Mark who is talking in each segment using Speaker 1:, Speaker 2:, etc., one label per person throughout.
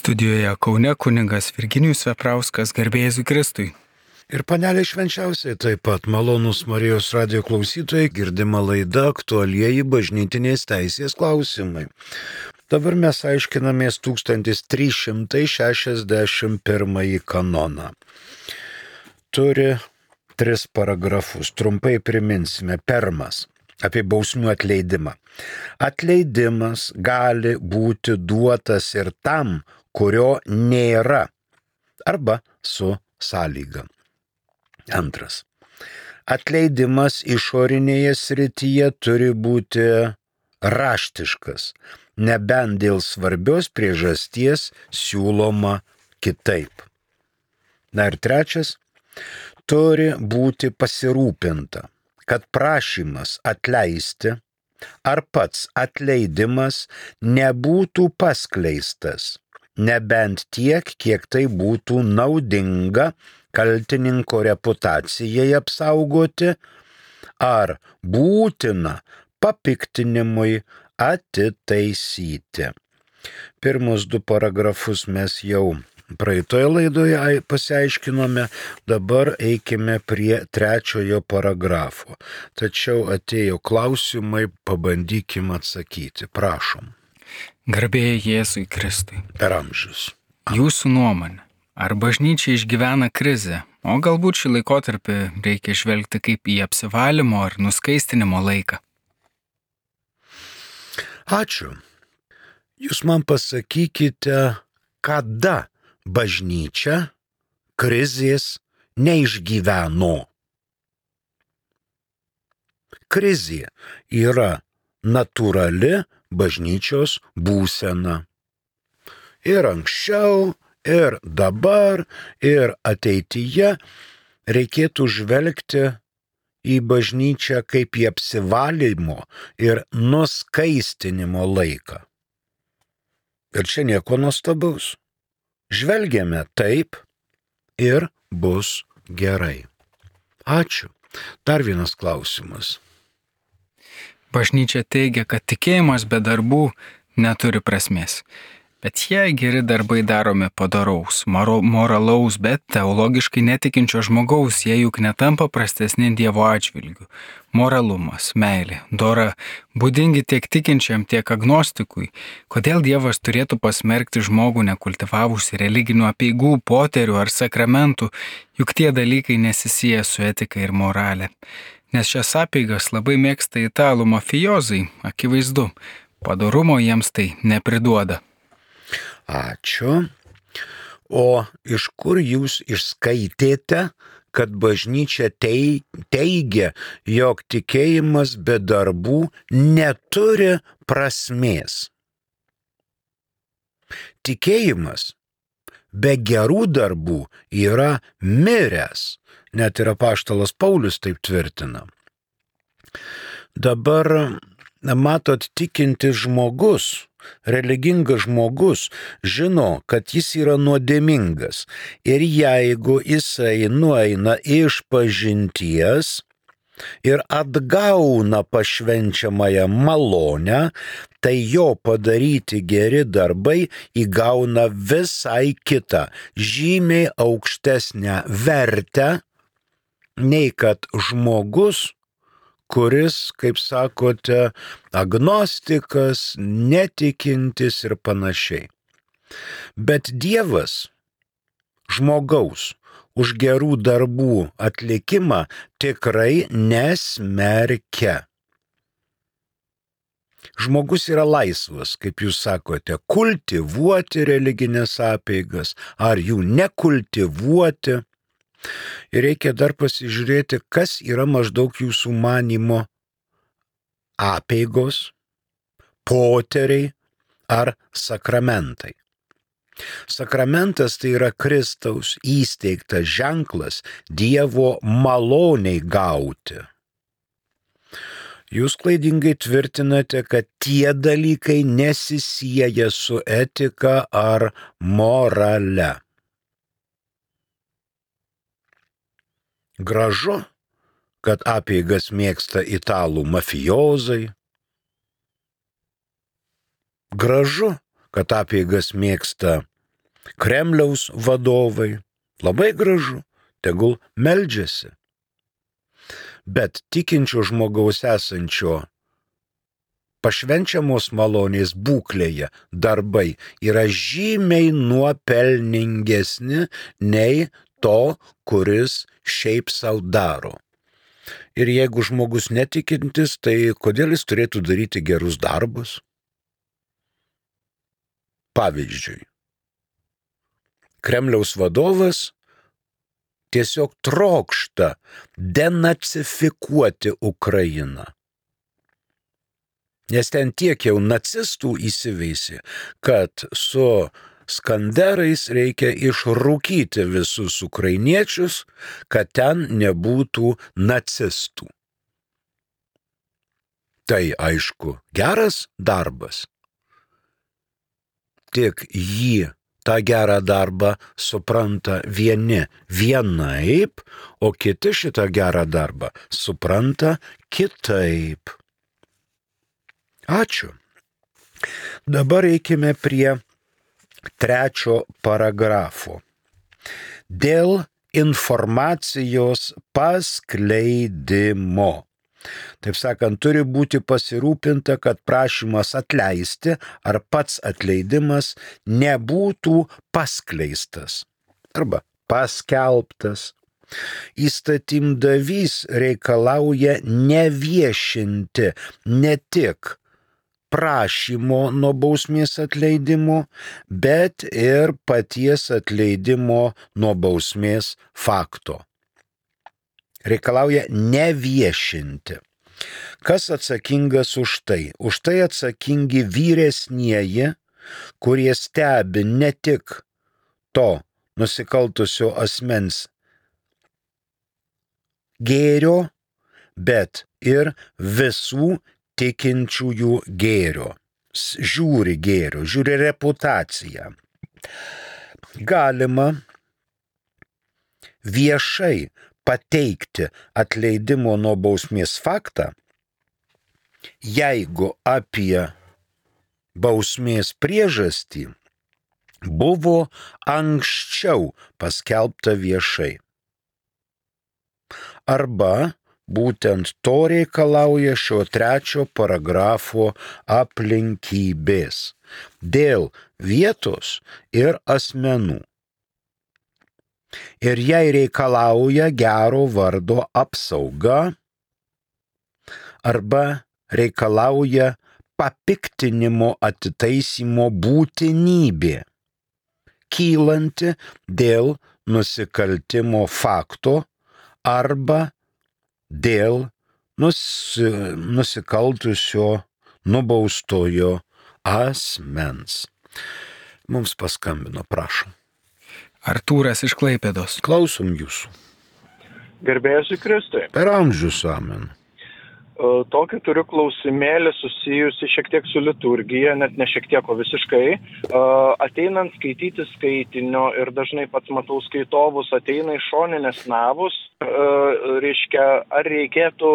Speaker 1: Studijoje Kaune kunigas Virginijus Veprauskas, garbė Jėzui Kristui.
Speaker 2: Ir panelė švenčiausiai taip pat malonūs Marijos radijo klausytojai, girdima laida aktualieji bažnytinės teisės klausimai. Dabar mes aiškinamės 1361 kanoną. Turi 3 paragrafus, trumpai priminsime. Pirmas – apie bausmių atleidimą. Atleidimas gali būti duotas ir tam, kurio nėra, arba su sąlyga. Antras. Atleidimas išorinėje srityje turi būti raštiškas, nebent dėl svarbios priežasties siūloma kitaip. Na ir trečias. Turi būti pasirūpinta, kad prašymas atleisti ar pats atleidimas nebūtų paskleistas, nebent tiek, kiek tai būtų naudinga kaltininko reputacijai apsaugoti ar būtina papiktinimui atitaisyti. Pirmus 2 paragrafus mes jau praeitoje laidoje pasiaiškinome, dabar eikime prie 3 paragrafo. Tačiau atėjo klausimai, pabandykime atsakyti. Prašom.
Speaker 1: Garbė Jėzui Kristui.
Speaker 2: Per amžius.
Speaker 1: Jūsų nuomonė, ar bažnyčia išgyvena krizę, o galbūt šį laikotarpį reikia žvelgti kaip į apsivalymo ar nuskaistinimo laiką?
Speaker 2: Ačiū. Jūs man pasakykite, kada bažnyčia krizės neišgyveno. Krizė yra natūrali bažnyčios būsena. Ir anksčiau, ir dabar, ir ateityje reikėtų žvelgti į bažnyčią kaip į apsivalymo ir nuskaistinimo laiką. Ir čia nieko nuostabaus. Žvelgiame taip ir bus gerai. Ačiū. Dar vienas klausimas.
Speaker 1: Bažnyčia teigia, kad tikėjimas be darbų neturi prasmės. Bet jei geri darbai daromi padaraus, moralaus, bet teologiškai netikinčio žmogaus, jie juk netampa prastesni Dievo atžvilgiu. Moralumas, meilė, dora, būdingi tiek tikinčiam, tiek agnostikui. Kodėl Dievas turėtų pasmerkti žmogų nekultivavusi religinių apeigų, poterių ar sakramentų, juk tie dalykai nesisieja su etika ir moralė. Nes šias apeigas labai mėgsta italų mafijozai, akivaizdu, padorumo jiems tai nepriduoda.
Speaker 2: Ačiū. O iš kur jūs išskaitėte, kad bažnyčia teigia, jog tikėjimas be darbų neturi prasmės? Tikėjimas be gerų darbų yra miręs. Net ir apaštalas Paulius taip tvirtina. Dabar, matot, tikintis žmogus, religingas žmogus žino, kad jis yra nuodėmingas. Ir jeigu jisai nueina iš pažinties ir atgauna pašvenčiamąją malonę, tai jo padaryti geri darbai įgauna visai kitą, žymiai aukštesnę vertę, nei kad žmogus, kuris, kaip sakote, agnostikas, netikintis ir panašiai. Bet Dievas žmogaus už gerų darbų atlikimą tikrai nesmerkia. Žmogus yra laisvas, kaip jūs sakote, kultivuoti religinės apeigas ar jų nekultivuoti. Ir reikia dar pasižiūrėti, kas yra maždaug jūsų manymo apeigos, poteriai ar sakramentai. Sakramentas tai yra Kristaus įsteigtas ženklas Dievo maloniai gauti. Jūs klaidingai tvirtinate, kad tie dalykai nesisieja su etika ar morale. Gražu, kad apeigas mėgsta italų mafijozai. Gražu, kad apeigas mėgsta Kremliaus vadovai. Labai gražu, tegul meldžiasi. Bet tikinčio žmogaus esančio pašvenčiamos malonės būklėje darbai yra žymiai nuopelningesni nei to, kuris šiaip sau daro. Ir jeigu žmogus netikintis, tai kodėl jis turėtų daryti gerus darbus? Pavyzdžiui, Kremliaus vadovas tiesiog trokšta denacifikuoti Ukrainą. Nes ten tiek jau nacistų įsiveisė, kad su skanderais reikia išrūkyti visus ukrainiečius, kad ten nebūtų nacistų. Tai aišku, geras darbas. Tik jį, tą gerą darbą, supranta vieni vienaip, o kiti šitą gerą darbą supranta kitaip. Ačiū. Dabar eikime prie 3 paragrafo. Dėl informacijos paskleidimo. Taip sakant, turi būti pasirūpinta, kad prašymas atleisti ar pats atleidimas nebūtų paskleistas arba paskelbtas. Įstatymdavys reikalauja neviešinti ne tik prašymo nuo bausmės atleidimo, bet ir paties atleidimo nuo bausmės fakto. Reikalauja neviešinti. Kas atsakingas už tai? Už tai atsakingi vyresnieji, kurie stebi ne tik to nusikaltusio asmens gėrio, bet ir visų tikinčiųjų gėrio. Žiūri reputaciją. Galima viešai pateikti atleidimo nuo bausmės faktą, jeigu apie bausmės priežastį buvo anksčiau paskelbta viešai. Arba būtent to reikalauja šio 3 paragrafo aplinkybės dėl vietos ir asmenų. Ir jei reikalauja gero vardo apsauga arba reikalauja papiktinimo atitaisymo būtinybė, kylanti dėl nusikaltimo fakto arba dėl nusikaltusio nubaustojo asmens. Mums paskambino, prašom.
Speaker 1: Artūras iš Klaipėdos.
Speaker 2: Klausom jūsų.
Speaker 3: Garbėsiu Kristui.
Speaker 2: Per amžius amen.
Speaker 3: Tokį turiu klausimėlį susijusi šiek tiek su liturgija, net ne šiek tiek, o visiškai. Ateinant skaityti skaitinio ir dažnai pats matau skaitovus, ateina iš šoninės navus, reiškia, ar reikėtų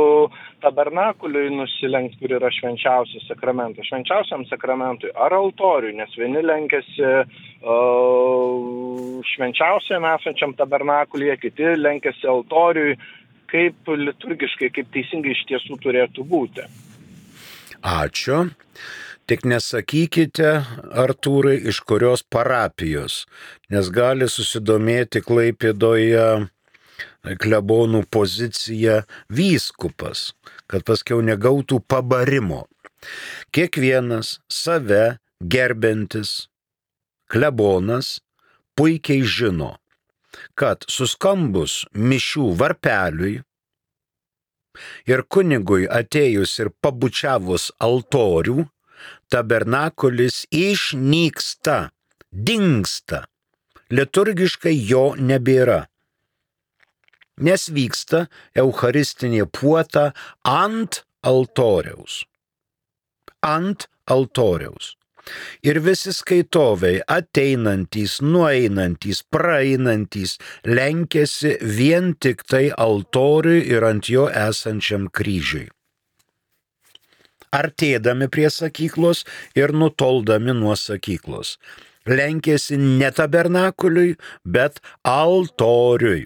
Speaker 3: tabernakuliui nusilenkti, kur yra švenčiausias sakramentas, švenčiausiam sakramentui, ar altoriui, nes vieni lenkiasi švenčiausiam esančiam tabernakulyje, kiti lenkiasi altoriui. Kaip liturgiškai, kaip teisingai iš tiesų turėtų būti.
Speaker 2: Ačiū. Tik nesakykite, Artūrai, iš kurios parapijos, nes gali susidomėti Klaipėdoje klebonų pozicija vyskupas, kad paskiau negautų pabarimo. Kiekvienas save gerbiantis klebonas puikiai žino, kad suskambus mišių varpeliui ir kunigui atėjus ir pabučiavus altorių, tabernakulis išnyksta, dingsta, liturgiškai jo nebėra, nes vyksta eucharistinė puota ant altoriaus. Ant altoriaus. Ir visi skaitovai ateinantys, nueinantys, praeinantys lenkiasi vien tik tai altoriui ir ant jo esančiam kryžiui. artėdami prie sakyklos ir nutoldami nuo sakyklos. Lenkėsi ne tabernakuliui, bet altoriui.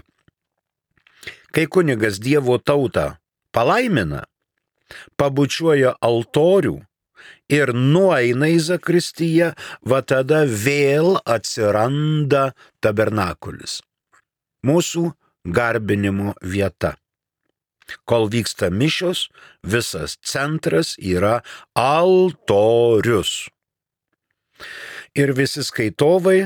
Speaker 2: Kai kunigas Dievo tautą palaimina, pabučiuoja altorių ir nueina į zakristiją, va tada vėl atsiranda tabernakulis. Mūsų garbinimo vieta. Kol vyksta mišios, visas centras yra altorius. Ir visi skaitovai,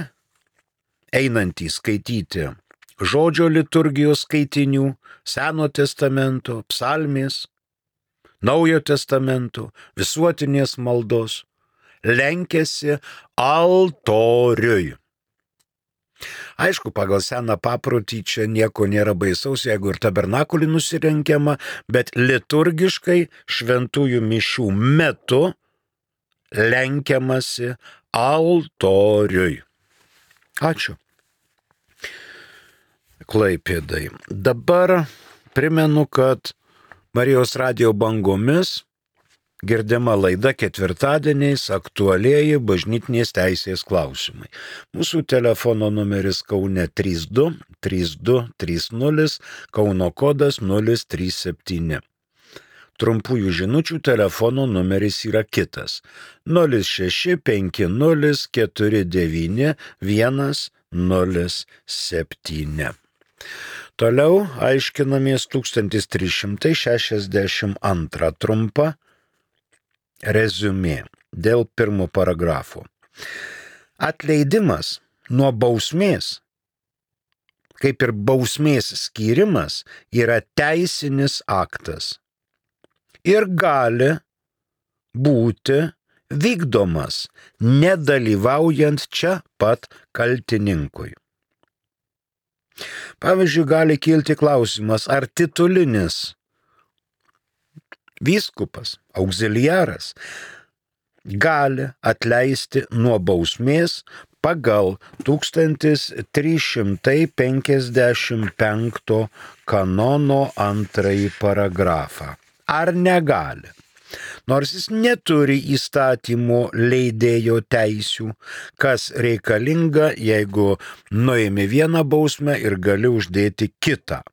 Speaker 2: einantys skaityti žodžio liturgijos skaitinių, Seno testamento, psalmės, Naujo testamento, visuotinės maldos, lenkiasi altoriui. Aišku, pagal seną paprotį čia nieko nėra baisaus, jeigu ir tabernakulį nusirenkiama, bet liturgiškai šventųjų mišių metu lenkiamasi altoriui. Ačiū. Klaipėdai. Dabar primenu, kad Marijos radijo bangomis girdima laida ketvirtadieniais aktualieji bažnytinės teisės klausimai. Mūsų telefono numeris Kaune 32 3230, Kauno kodas 037. Trumpųjų žinučių telefono numeris yra kitas 065049 107. Toliau aiškinamės 1362 trumpa reziumė dėl pirmo paragrafo. Atleidimas nuo bausmės, kaip ir bausmės skyrimas, yra teisinis aktas ir gali būti vykdomas nedalyvaujant čia pat kaltininkui. Pavyzdžiui, gali kilti klausimas, ar titulinis vyskupas, auxiliaras, gali atleisti nuo bausmės pagal 1355 kanono 2 paragrafą. Ar negali? Nors jis neturi įstatymo leidėjo teisių, kas reikalinga, jeigu nuimi vieną bausmę ir gali uždėti kitą.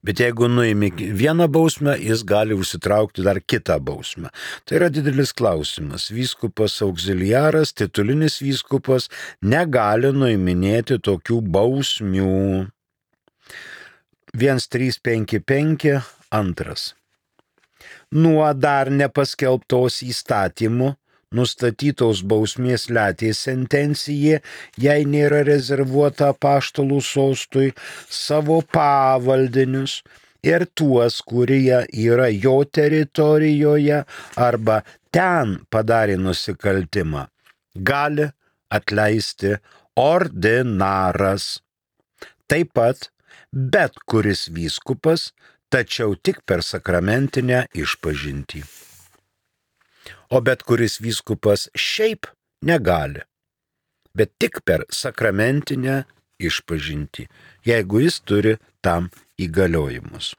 Speaker 2: Bet jeigu nuimi vieną bausmę, jis gali užsitraukti dar kitą bausmę. Tai yra didelis klausimas. Vyskupas auxiliaras, titulinis vyskupas negali nuiminėti tokių bausmių. 1355 2. Nuo dar nepaskelbtos įstatymų nustatytos bausmės letės sentencija, jei nėra rezervuota apaštalų sostui, savo pavaldinius ir tuos, kurie yra jo teritorijoje arba ten padarė nusikaltimą, gali atleisti ordinaras. Taip pat bet kuris vyskupas, tačiau tik per sakramentinę išpažintį. O bet kuris vyskupas šiaip negali, bet tik per sakramentinę išpažintį, jeigu jis turi tam įgaliojimus.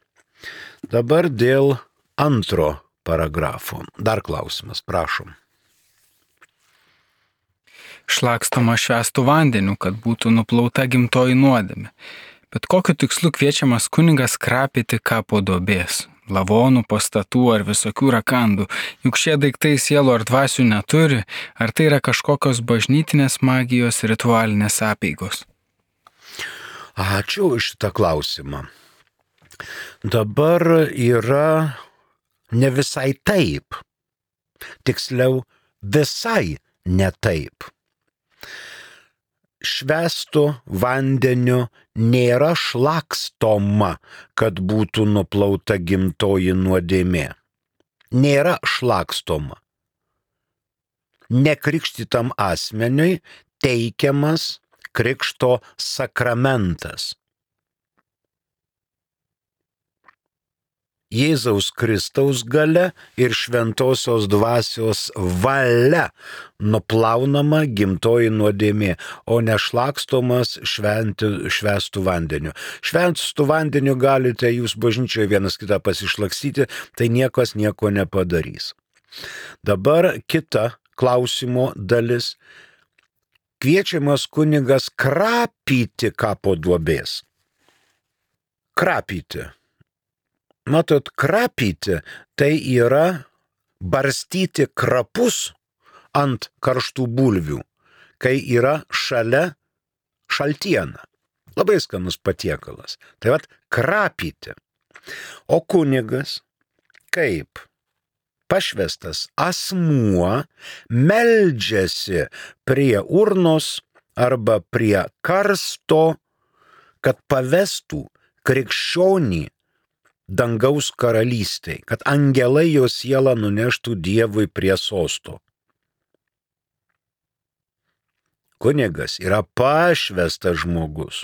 Speaker 2: Dabar dėl antro paragrafo. Dar klausimas, prašom.
Speaker 1: Šlakstoma švęstų vandeniu, kad būtų nuplauta gimtoji nuodėmė. Bet kokiu tikslu kviečiamas kunigas krapyti kapo duobės, lavonų, pastatų ar visokių rakandų, juk šie daiktai sielų ar dvasių neturi, ar tai yra kažkokios bažnytinės magijos ritualinės apeigos?
Speaker 2: Ačiū už šitą klausimą. Dabar yra ne visai taip, tiksliau visai ne taip. Švęstu vandeniu nėra šlakstoma, kad būtų nuplauta gimtoji nuodėmė. Nėra šlakstoma. Nekrikštytam asmeniui teikiamas krikšto sakramentas. Jėzaus Kristaus galia ir šventosios dvasios valia nuplaunama gimtoji nuodėmė, o nešlakstomas švęstų vandeniu. Švęstų vandeniu galite jūs bažnyčioje vienas kitą pasišlakstyti, tai niekas nieko nepadarys. Dabar kita klausimo dalis. Kviečiamas kunigas krapyti kapo duobės. Krapyti. Matot, krapyti tai yra barstyti krapus ant karštų bulvių, kai yra šalia šaltiena. Labai skanus patiekalas. Tai vat krapyti. O kunigas, kaip pašvestas asmuo, meldžiasi prie urnos arba prie karsto, kad pavestų krikščionį dangaus karalystei, kad angelai jo sielą nuneštų Dievui prie sosto. Kunigas yra pašvestas žmogus.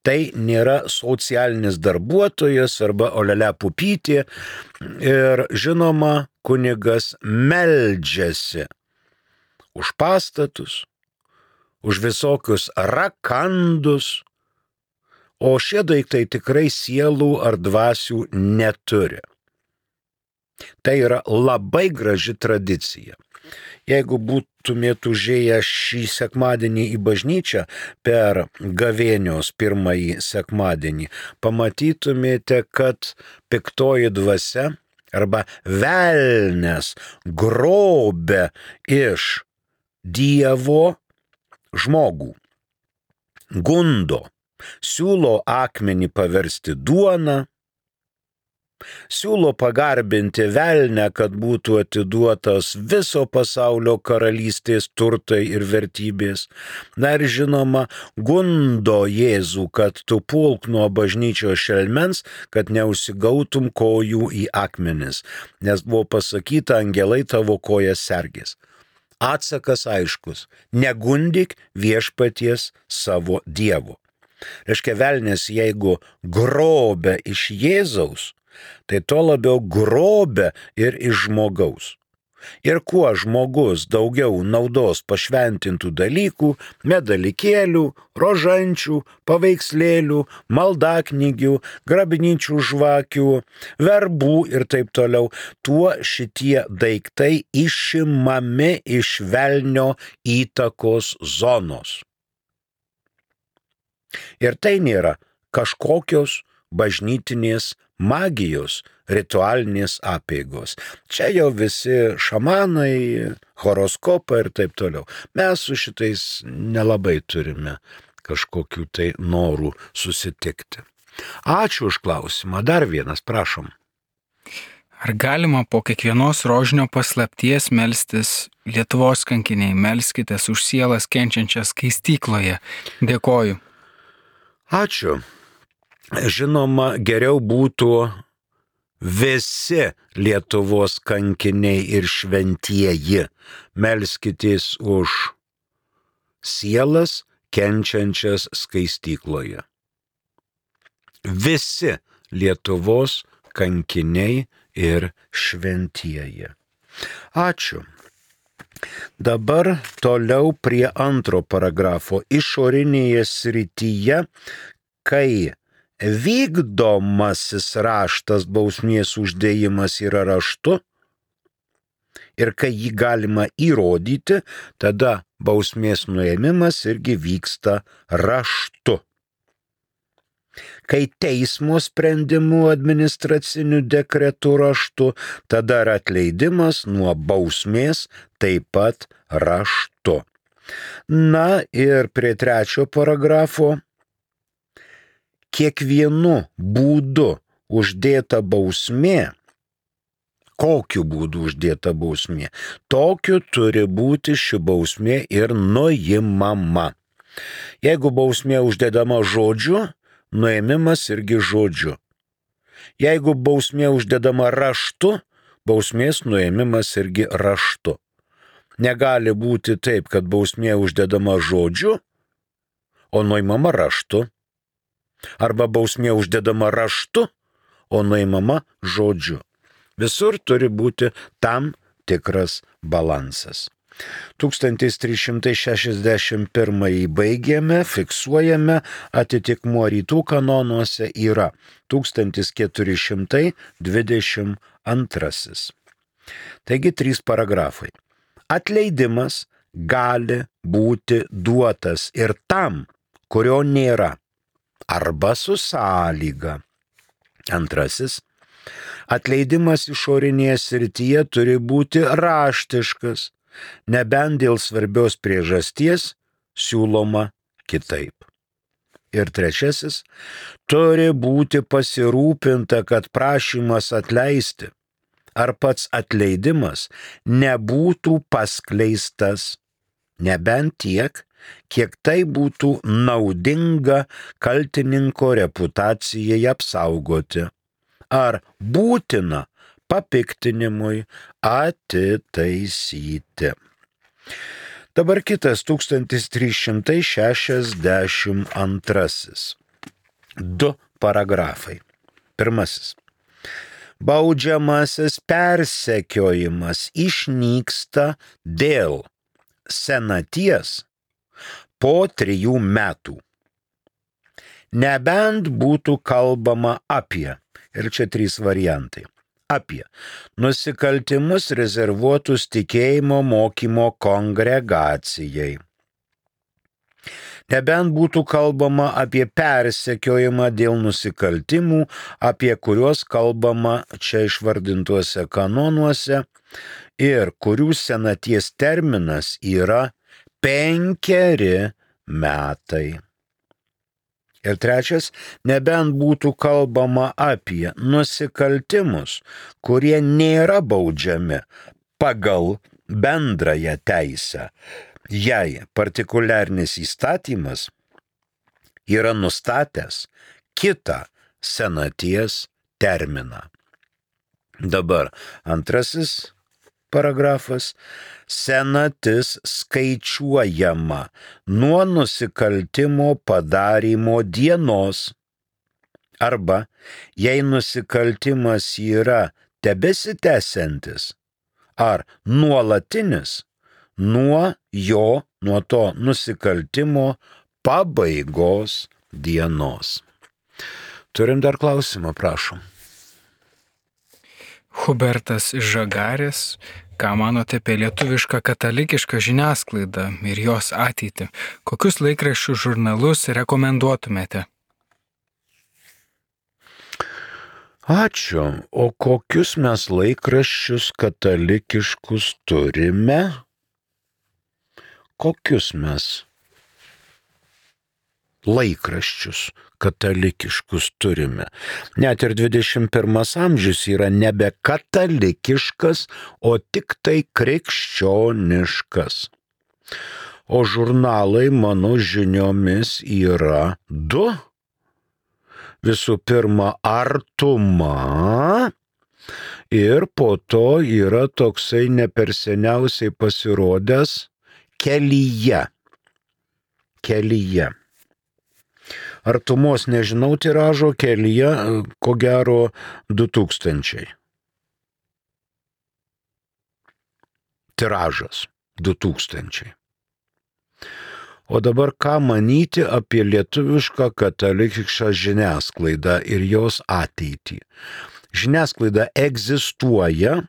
Speaker 2: Tai nėra socialinis darbuotojas arba olele pupytė ir žinoma, kunigas meldžiasi už pastatus, už visokius rakandus, o šie daiktai tikrai sielų ar dvasių neturi. Tai yra labai graži tradicija. Jeigu būtumėte užėję šį sekmadienį į bažnyčią per gavėnios pirmąjį sekmadienį, pamatytumėte, kad piktoji dvasia arba velnias grobia iš Dievo žmogų, gundo, siūlo akmenį paversti duoną, siūlo pagarbinti velnę, kad būtų atiduotas viso pasaulio karalystės turtai ir vertybės. Na ir žinoma, gundo Jėzų, kad tu pulk nuo bažnyčios šelmens, kad neužsigautum kojų į akmenis, nes buvo pasakyta, angelai tavo kojas sergės. Atsakas aiškus, negundyk viešpaties savo Dievo. Reiškia, velnės, jeigu grobia iš Jėzaus, tai to labiau grobia ir iš žmogaus. Ir kuo žmogus daugiau naudos pašventintų dalykų, medalikėlių, rožančių, paveikslėlių, maldaknygių, grabnyčių žvakių, verbų ir taip toliau, tuo šitie daiktai išimami iš velnio įtakos zonos. Ir tai nėra kažkokios bažnytinės magijos, ritualinės apeigos. Čia jau visi šamanai, horoskopai ir taip toliau. Mes su šitais nelabai turime kažkokių tai norų susitikti. Ačiū už klausimą. Dar vienas, prašom.
Speaker 1: Ar galima po kiekvienos rožinio paslapties melstis Lietuvos kankiniai, melskitės už sielas kenčiančias skaistykloje? Dėkoju.
Speaker 2: Ačiū. Žinoma, geriau būtų visi Lietuvos kankiniai ir šventieji. Melskitės už sielas kenčiančias skaistykloje. Visi Lietuvos kankiniai ir šventieji. Ačiū. Dabar toliau prie antro paragrafo. Išorinėje srityje, kai vykdomasis raštas bausmės uždėjimas yra raštu ir kai jį galima įrodyti, tada bausmės nuėmimas irgi vyksta raštu. Kai teismo sprendimu administraciniu dekretu raštu, tada ir atleidimas nuo bausmės taip pat raštu. Na ir prie trečio paragrafo. Kiekvienu būdu uždėta bausmė, kokiu būdu uždėta bausmė, tokiu turi būti ši bausmė ir nuimama. Jeigu bausmė uždedama žodžiu, nuėmimas irgi žodžiu. Jeigu bausmė uždedama raštu, bausmės nuėmimas irgi raštu. Negali būti taip, kad bausmė uždedama žodžiu, o nuimama raštu. Arba bausmė uždedama raštu, o nuimama žodžiu. Visur turi būti tam tikras balansas. 1361 baigėme, fiksuojame, atitikmuo rytų kanonuose yra 1422. Taigi 3 paragrafai. Atleidimas gali būti duotas ir tam, kurio nėra, arba su sąlyga. 2. Atleidimas išorinėje srityje turi būti raštiškas, nebent dėl svarbios priežasties siūloma kitaip. Ir 3. Turi būti pasirūpinta, kad prašymas atleisti ar pats atleidimas nebūtų paskleistas, nebent tiek, kiek tai būtų naudinga kaltininko reputacijai apsaugoti ar būtina papiktinimui atitaisyti. Dabar kitas 1362. 2 paragrafai. 1. Baudžiamasis persekiojimas išnyksta dėl senaties po 3 metų. Nebent būtų kalbama apie, ir čia 3 variantai, apie nusikaltimus rezervuotus tikėjimo mokymo kongregacijai. Nebent būtų kalbama apie persekiojimą dėl nusikaltimų, apie kuriuos kalbama čia išvardintuose kanonuose ir kurių senaties terminas yra 5 metai. Ir 3. Nebent būtų kalbama apie nusikaltimus, kurie nėra baudžiami pagal bendrąją teisę, jei partikuliarinis įstatymas yra nustatęs kitą senaties terminą. Dabar 2 paragrafas. Senatis skaičiuojama nuo nusikaltimo padarymo dienos arba, jei nusikaltimas yra tebesitęsiantis ar nuolatinis, nuo to nusikaltimo pabaigos dienos. Turim dar klausimą, prašom.
Speaker 1: Hubertas iš Žagarės, ką manote apie lietuvišką katalikišką žiniasklaidą ir jos ateitį? Kokius laikraščių žurnalus rekomenduotumėte?
Speaker 2: Ačiū. O kokius mes laikraščius katalikiškus turime? Kokius mes laikraščius katalikiškus turime? Net ir 21 amžius yra nebe katalikiškas, o tik tai krikščioniškas. O žurnalai, mano žiniomis, yra 2. Visų pirma, Artuma ir po to yra toksai neperseniausiai pasirodęs Kelyje. Artumos nežinau tiražo, Kelyje ko gero 2000. Tiražas 2000. O dabar ką manyti apie lietuvišką katalikišką žiniasklaidą ir jos ateitį? Žiniasklaida egzistuoja,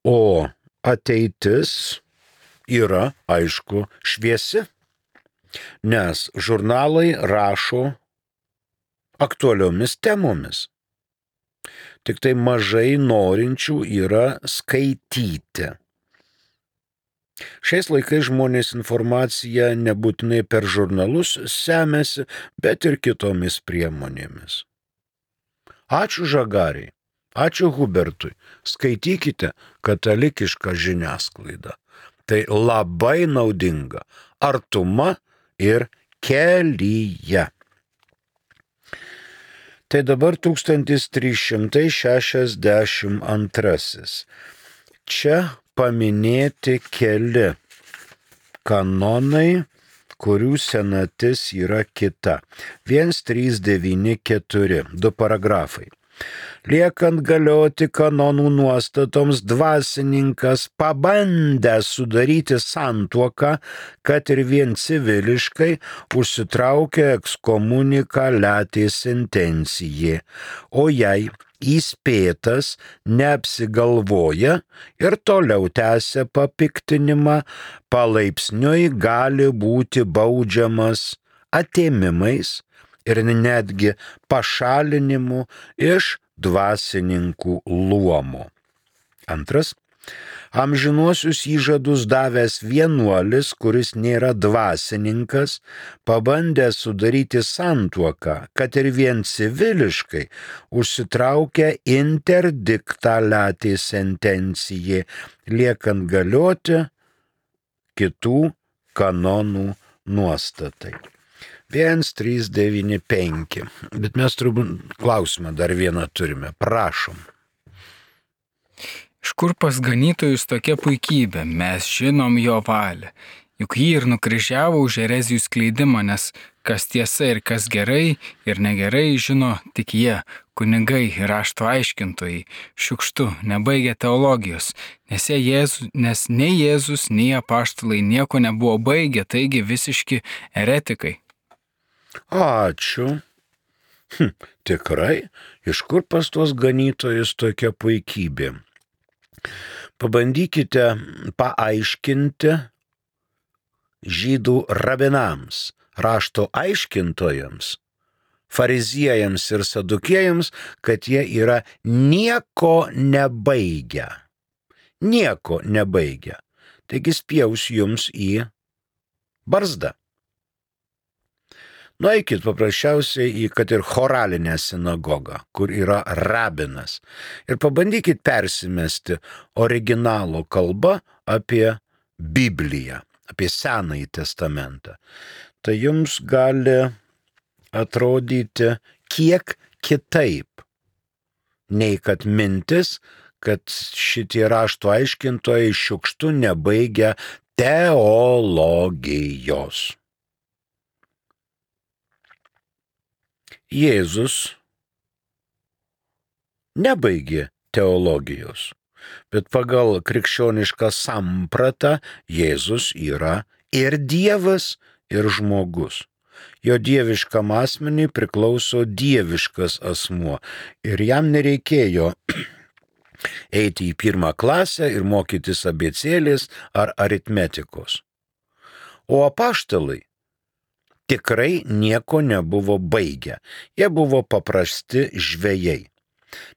Speaker 2: o ateitis yra, aišku, šviesi, nes žurnalai rašo aktualiomis temomis. Tik tai mažai norinčių yra skaityti. Šiais laikais žmonės informaciją nebūtinai per žurnalus semiasi, bet ir kitomis priemonėmis. Ačiū Žagariai, ačiū Hubertui, skaitykite katalikišką žiniasklaidą. Tai labai naudinga. Artuma ir Kelyje. Tai dabar 1362. Čia paminėti keli kanonai, kurių senatis yra kita. 1394, 2 paragrafai. Liekant galioti kanonų nuostatoms, dvasininkas pabandęs sudaryti santuoką, kad ir vien civiliškai, užsitraukia ekskomuniką latė sentencijai, o jei įspėtas neapsigalvoja ir toliau tęsia papiktinimą, palaipsniui gali būti baudžiamas atėmimais ir netgi pašalinimu iš dvasininkų luomo. Antras. Amžinuosius įžadus davęs vienuolis, kuris nėra dvasininkas, pabandęs sudaryti santuoką, kad ir vien civiliškai, užsitraukia interdiktą latė sentencijai, liekant galioti kitų kanonų nuostatai. 1395. Bet mes turbūt klausimą dar vieną turime. Prašom.
Speaker 1: Iš kur pas ganytojus tokia puikybė? Mes žinom jo valią. Juk jį ir nukryžiavo už erezijų skleidimą, nes kas tiesa ir kas gerai ir negerai žino tik jie, kunigai ir rašto aiškintojai, šiukštu, nebaigę teologijos, nes nei Jėzus, nei apaštalai nieko nebuvo baigę, taigi visiški eretikai.
Speaker 2: Ačiū. Tikrai, iš kur pas tuos ganytojus tokia puikybė? Pabandykite paaiškinti žydų rabinams, rašto aiškintojams, fariziejams ir sadukėjams, kad jie yra nieko nebaigę. Nieko nebaigę. Taigi spjaus jums į barzdą. Nueikit paprasčiausiai į kad ir choralinę sinagogą, kur yra rabinas, ir pabandykit persimesti originalo kalbą apie Bibliją, apie Senąjį testamentą. Tai jums gali atrodyti kiek kitaip, nei kad mintis, kad šitie rašto aiškintojai šiukštu nebaigia teologijos. Jėzus nebaigė teologijos, bet pagal krikščionišką sampratą Jėzus yra ir Dievas, ir žmogus. Jo dieviškam asmeniui priklauso dieviškas asmuo ir jam nereikėjo eiti į 1 klasę ir mokytis abėcėlės ar aritmetikos. O apaštalai tikrai nieko nebuvo baigę. Jie buvo paprasti žvejai.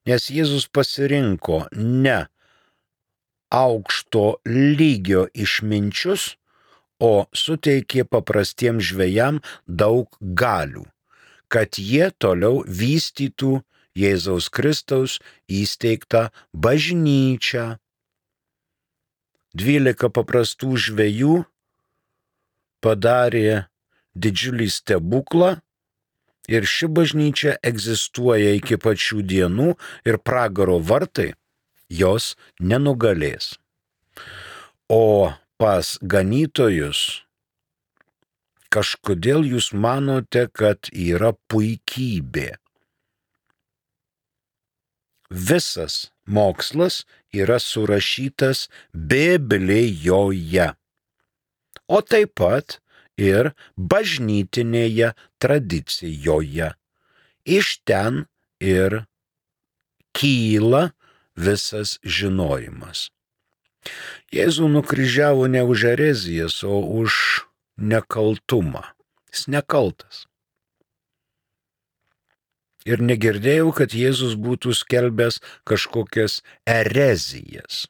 Speaker 2: Nes Jėzus pasirinko ne aukšto lygio išminčius, o suteikė paprastiems žvejam daug galių, kad jie toliau vystytų Jėzaus Kristaus įsteigtą bažnyčią. 12 paprastų žvejų padarė didžiulį stebuklą ir ši bažnyčia egzistuoja iki pačių dienų ir pragaro vartai jos nenugalės. O pas ganytojus kažkodėl jūs manote, kad yra puikybė. Visas mokslas yra surašytas Biblijoje, o taip pat ir bažnytinėje tradicijoje. Iš ten ir kyla visas žinojimas. Jėzų nukryžiavo ne už erezijas, o už nekaltumą. Jis nekaltas. Ir negirdėjau, kad Jėzus būtų skelbęs kažkokias erezijas.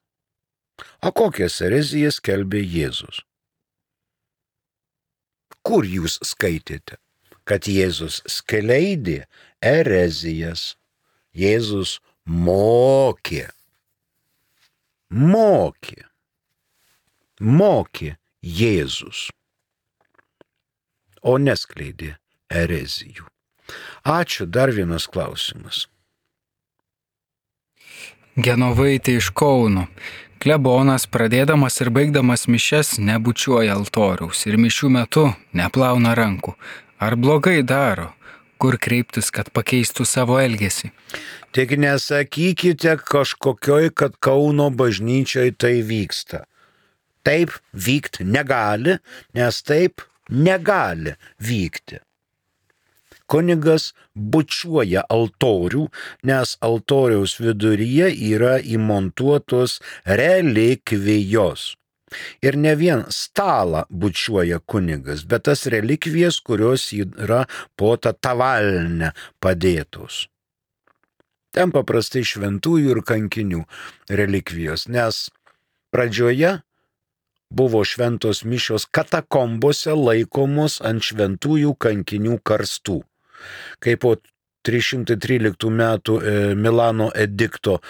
Speaker 2: O kokias erezijas skelbė Jėzus? Kur jūs skaitėte, kad Jėzus skleidė erezijas? Jėzus mokė Jėzus, o neskleidė erezijų. Ačiū, dar vienas klausimas.
Speaker 1: Genovaitė iš Kauno. Klebonas, pradėdamas ir baigdamas mišias, nebučiuoja altoriaus ir mišių metu neplauna rankų. Ar blogai daro? kur kreiptis, kad pakeistų savo elgesį.
Speaker 2: Tik nesakykite kažkokioj, kad Kauno bažnyčioj tai vyksta. Taip vykti negali, nes taip negali vykti. Kunigas bučiuoja altorių, nes altoriaus viduryje yra įmontuotos relikvijos. Ir ne vien stalą bučiuoja kunigas, bet tas relikvijas, kurios yra po tą tavalnę padėtos. Ten paprastai šventųjų ir kankinių relikvijos, nes pradžioje buvo šventos mišios katakombose laikomos ant šventųjų kankinių karstų. Kai po 313 metų Milano edikto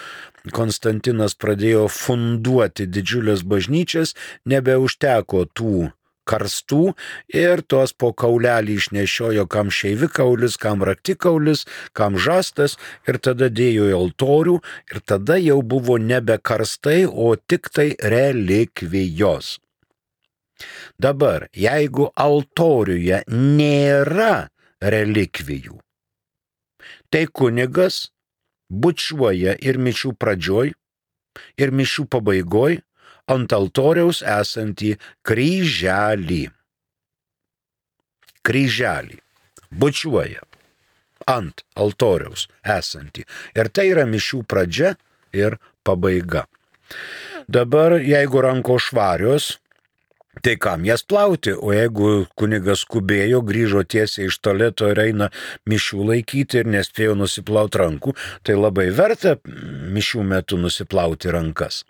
Speaker 2: Konstantinas pradėjo funduoti didžiulės bažnyčias, nebeužteko tų karstų ir tos po kaulelį išnešiojo kam šeivikaulis, kam raktikaulis, kam žastas ir tada dėjo į altorių ir tada jau buvo nebe karstai, o tik tai relikvijos. Dabar, jeigu altoriuje nėra relikvijų, tai kunigas bučiuoja ir mišių pradžioj, ir mišių pabaigoj ant altoriaus esantį kryželį. Kryželį bučiuoja ant altoriaus esantį. Ir tai yra mišių pradžia ir pabaiga. Dabar, jeigu rankos švarios, tai kam jas plauti, o jeigu kunigas skubėjo, grįžo tiesiai iš tualeto ir eina mišių laikyti ir nespėjo nusiplauti rankų, tai labai verta mišių metu nusiplauti rankas.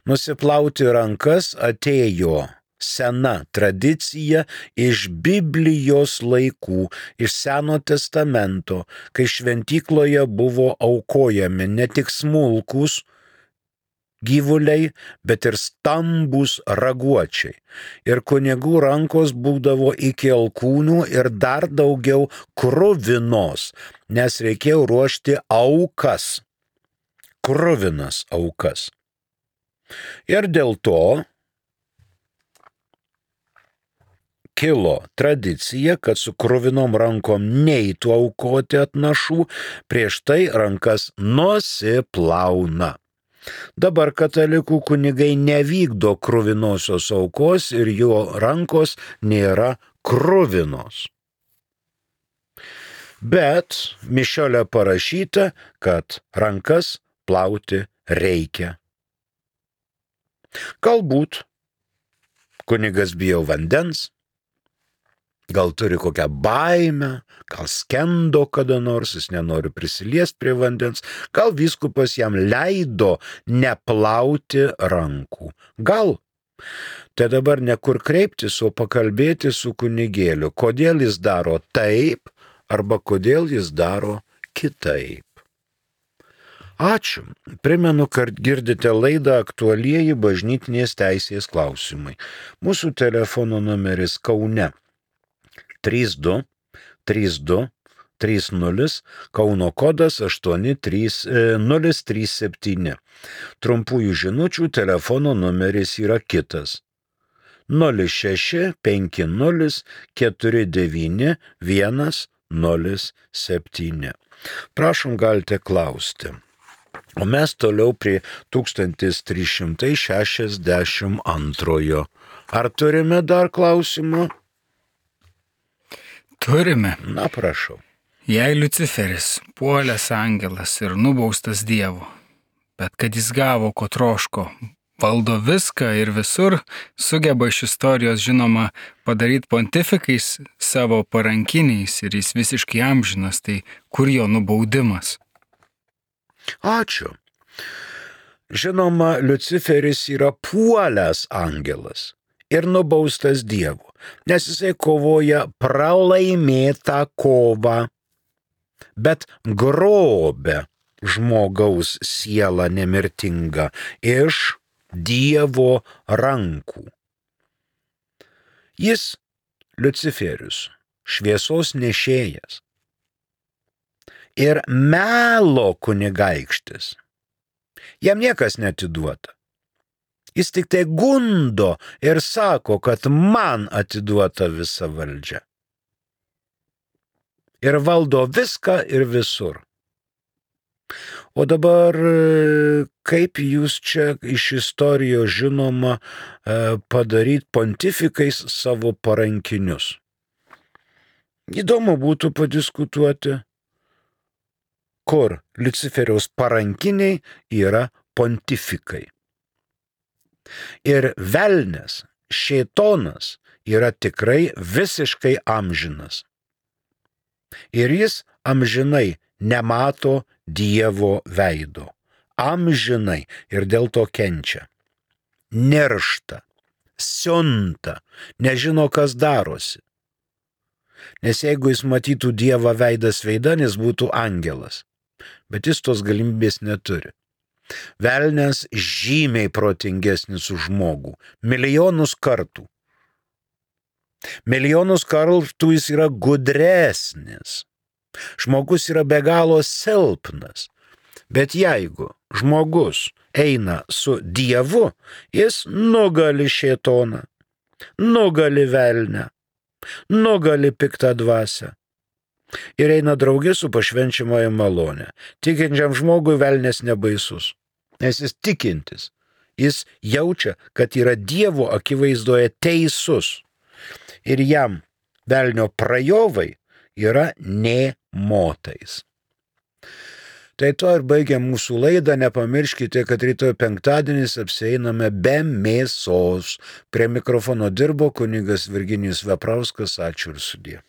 Speaker 2: Nusiplauti rankas atėjo sena tradicija iš Biblijos laikų, iš Seno testamento, kai šventykloje buvo aukojami ne tik smulkūs gyvuliai, bet ir stambūs raguočiai. Ir kunigų rankos būdavo iki alkūnių ir dar daugiau kruvinos, nes reikėjo ruošti aukas, kruvinas aukas. Ir dėl to kilo tradicija, kad su kruvinom rankom neitų aukoti atnašų, prieš tai rankas nusiplauna. Dabar katalikų kunigai nevykdo kruvinosios aukos ir jo rankos nėra kruvinos. Bet mišiole parašyta, kad rankas plauti reikia. Galbūt kunigas bijo vandens, gal turi kokią baimę, gal skendo kada nors, jis nenori prisiliesti prie vandens, gal vyskupas jam leido neplauti rankų. Gal. Tai dabar ne kur kreiptis, o pakalbėti su kunigėliu, kodėl jis daro taip arba kodėl jis daro kitaip. Ačiū. Primenu, kad girdite laidą Aktualieji bažnytinės teisės klausimai. Mūsų telefono numeris Kaune 32 32 30, Kauno kodas 83037. Trumpųjų žinučių telefono numeris yra kitas 06 50 49 107. Prašom, galite klausti. O mes toliau prie 1362. Ar turime dar klausimą?
Speaker 1: Turime.
Speaker 2: Na, prašau.
Speaker 1: Jei Liuciferis, puolęs angelas ir nubaustas Dievo, bet kad jis gavo, ko troško, valdo viską ir visur, sugeba iš istorijos, žinoma, padaryti pontifikais savo parankiniais ir jis visiškai amžinas, tai kur jo nubaudimas?
Speaker 2: Ačiū. Žinoma, Liuciferis yra puolęs angelas ir nubaustas Dievo, nes jisai kovoja pralaimėtą kovą, bet grobia žmogaus sielą nemirtingą iš Dievo rankų. Jis, Liuciferius, šviesos nešėjas ir melo kunigaikštis. Jam niekas neatiduota. Jis tik tai gundo ir sako, kad man atiduota visa valdžia. ir valdo viską ir visur. O dabar kaip jūs čia iš istorijos žinoma padaryti pontifikais savo parankinius? Įdomu būtų padiskutuoti, kur Liuciferiaus parankiniai yra pontifikai. Ir velnias, šėtonas yra tikrai visiškai amžinas. Ir jis amžinai nemato Dievo veido. Amžinai ir dėl to kenčia. Niršta, siunta, nežino, kas darosi. Nes jeigu jis matytų Dievą veidas veidan, jis būtų angelas. Bet jis tos galimybės neturi. Velnias žymiai protingesnis už žmogų. Milijonus kartų. Milijonus kartų jis yra gudresnis. Žmogus yra be galo silpnas. Bet jeigu žmogus eina su Dievu, jis nugali šėtoną, nugali velnę, nugali piktą dvasią. Ir eina draugė su pašvenčiamoji malonė. Tikinčiam žmogui velnės nebaisus. Nes jis tikintis. Jis jaučia, kad yra Dievo akivaizdoje teisus. Ir jam velnio prajovai yra nė motais. Tai to ir baigiam mūsų laidą. Nepamirškite, kad rytoj penktadienis apsieiname be mėsos. Prie mikrofono dirbo kunigas Virginijus Veprauskas. Ačiū ir sudie.